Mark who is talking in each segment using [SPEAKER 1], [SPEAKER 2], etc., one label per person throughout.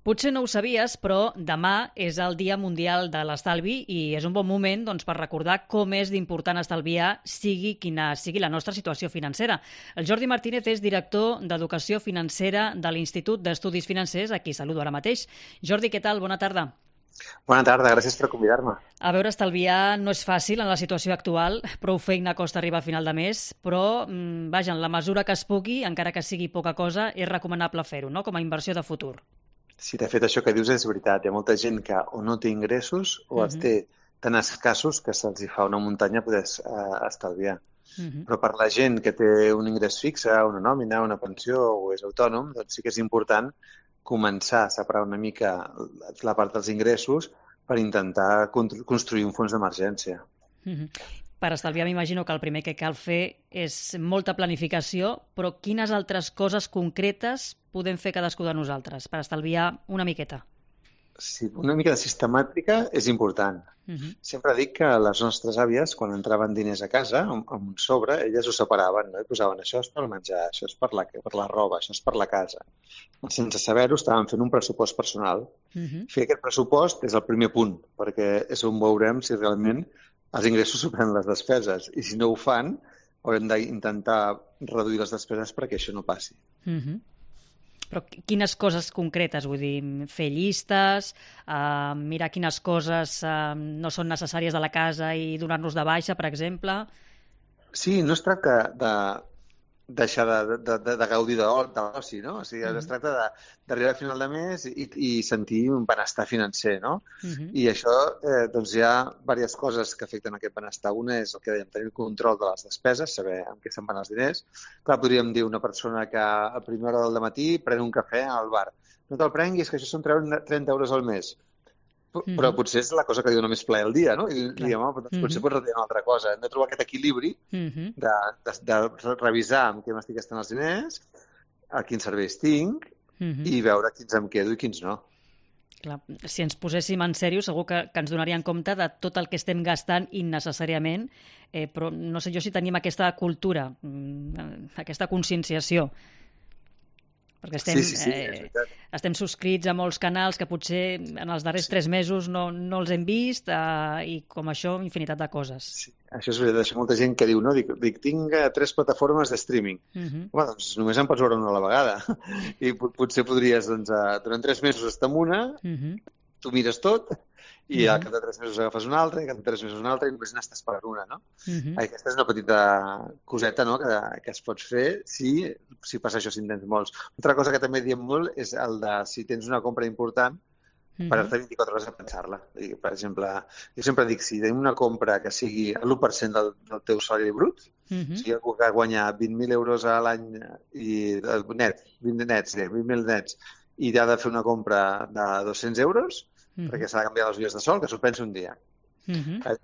[SPEAKER 1] Potser no ho sabies, però demà és el Dia Mundial de l'Estalvi i és un bon moment per recordar com és d'important estalviar sigui quina sigui la nostra situació financera. El Jordi Martínez és director d'Educació Financera de l'Institut d'Estudis Financers, a qui saludo ara mateix. Jordi, què tal? Bona tarda.
[SPEAKER 2] Bona tarda, gràcies per convidar-me.
[SPEAKER 1] A veure, estalviar no és fàcil en la situació actual, prou feina costa arribar a final de mes, però, vaja, en la mesura que es pugui, encara que sigui poca cosa, és recomanable fer-ho, no?, com a inversió de futur.
[SPEAKER 2] Sí, de fet, això que dius és veritat. Hi ha molta gent que o no té ingressos o els té tan escassos que se'ls hi fa una muntanya poder estalviar. Però per la gent que té un ingrés fixe, una nòmina, una pensió o és autònom, doncs sí que és important començar a separar una mica la part dels ingressos per intentar construir un fons d'emergència.
[SPEAKER 1] Per estalviar m'imagino que el primer que cal fer és molta planificació, però quines altres coses concretes podem fer cadascú de nosaltres per estalviar una miqueta?
[SPEAKER 2] Sí, una mica de sistemàtica és important. Sempre dic que les nostres àvies, quan entraven diners a casa, amb un sobre, elles ho separaven, no? I posaven això és per menjar, això és per la roba, això és per la casa. Sense saber-ho, estaven fent un pressupost personal. Fer aquest pressupost és el primer punt, perquè és on veurem si realment els ingressos superen les despeses. I si no ho fan, haurem d'intentar reduir les despeses perquè això no passi.
[SPEAKER 1] Però quines coses concretes? Vull dir, fer llistes, mirar quines coses no són necessàries de la casa i donar-nos de baixa, per exemple?
[SPEAKER 2] Sí, no es tracta de deixar de gaudir de l'oci, no? O sigui, es tracta d'arribar a final de mes i sentir un benestar financer, no? I això, doncs hi ha diverses coses que afecten aquest benestar. Una és el que dèiem, tenir el control de les despeses, saber en què se'n van els diners. Clar, podríem dir una persona que a primera hora del matí pren un cafè al bar. No te'l prenguis, que això són 30 euros al mes. Però potser és la cosa que li dona més plaer al dia, no? I diguem, doncs potser pots retenir una altra cosa. Hem de trobar aquest equilibri de revisar amb què m'estic gastant els diners, a quins serveis tinc i veure quins em quedo i quins no.
[SPEAKER 1] Clar, si ens poséssim en sèrio, segur que ens donaríem compte de tot el que estem gastant innecessàriament, però no sé jo si tenim aquesta cultura, aquesta conscienciació. Perquè estem subscrits a molts canals que potser en els darrers 3 mesos no els hem vist i com això, infinitat de coses.
[SPEAKER 2] Sí, això és veritat. Això molta gent que diu, no? Dic, tinc 3 plataformes de streaming. Home, doncs només en pots veure una a la vegada. I potser podries, doncs, durant 3 mesos estar en una, tu mires tot, i al cap de 3 mesos agafes una altra, i al cap de 3 mesos una altra, i només n'estàs per una, no? Aquesta és una petita coseta, no?, que es pots fer si passa això, si en tens molts. Altra cosa que també diem molt és el de si tens una compra important, parar-te 24 hores a pensar-la. Per exemple, jo sempre dic, si tenim una compra que sigui l'1% del teu salari brut, si algú que guanya 20.000 euros a l'any net, 20.000 nets, i ha de fer una compra de 200 euros, perquè s'ha de canviar les ulleres de sol, que s'ho pensa un dia.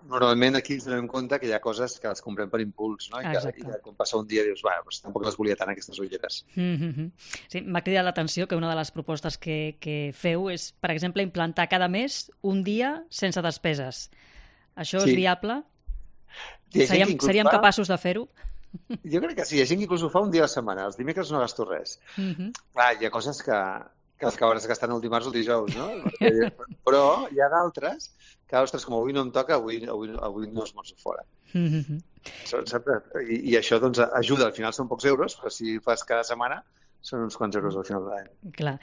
[SPEAKER 2] Normalment aquí ens donem compte que hi ha coses que les comprem per impuls, no? I que quan passa un dia dius, doncs tampoc les volia tant, aquestes ulleres.
[SPEAKER 1] Sí, m'ha cridat l'atenció que una de les propostes que feu és, per exemple, implantar cada mes un dia sense despeses. Això és viable? Seríem capaços de fer-ho?
[SPEAKER 2] Jo crec que sí, hi ha gent que inclús ho fa un dia a la setmana. Els dimecres no gasto res. Clar, hi ha coses que els acabaràs gastant el dimarts o el dijous, no? Però hi ha d'altres que, ostres, com avui no em toca, avui no esmorzo fora. I això doncs ajuda, al final són pocs euros, però si fas cada setmana són uns quants euros al final de l'any.
[SPEAKER 1] Clar.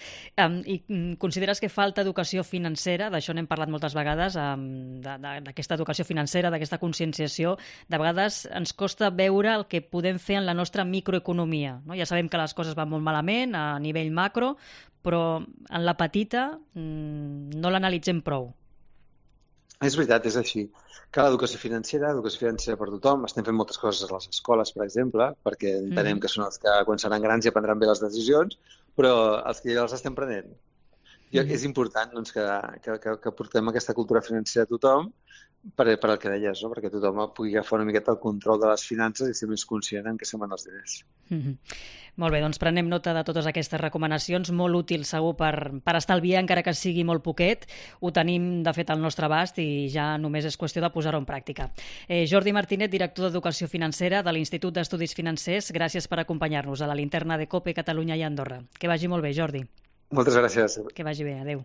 [SPEAKER 1] I consideres que falta educació financera? D'això n'hem parlat moltes vegades, d'aquesta educació financera, d'aquesta conscienciació. De vegades ens costa veure el que podem fer en la nostra microeconomia, no? Ja sabem que les coses van molt malament a nivell macro, però en la petita no l'analitzem prou.
[SPEAKER 2] És veritat, és així. Cal educació financera per tothom. Estem fent moltes coses a les escoles, per exemple, perquè entenem que són els que quan seran grans ja prendran bé les decisions, però els que ja les estem prenent. És important doncs, que portem aquesta cultura financera a tothom per el que deies, no? Perquè tothom pugui agafar una miqueta el control de les finances i ser més conscient en què se'n van els diners.
[SPEAKER 1] Molt bé, doncs prenem nota de totes aquestes recomanacions, molt útil segur per estalviar, encara que sigui molt poquet. Ho tenim, de fet, al nostre abast i ja només és qüestió de posar-ho en pràctica. Jordi Martínez, director d'Educació Financera de l'Institut d'Estudis Financers, gràcies per acompanyar-nos a la linterna de COPE Catalunya i Andorra. Que vagi molt bé, Jordi.
[SPEAKER 2] Moltes gràcies.
[SPEAKER 1] Que vagi bé, adeu.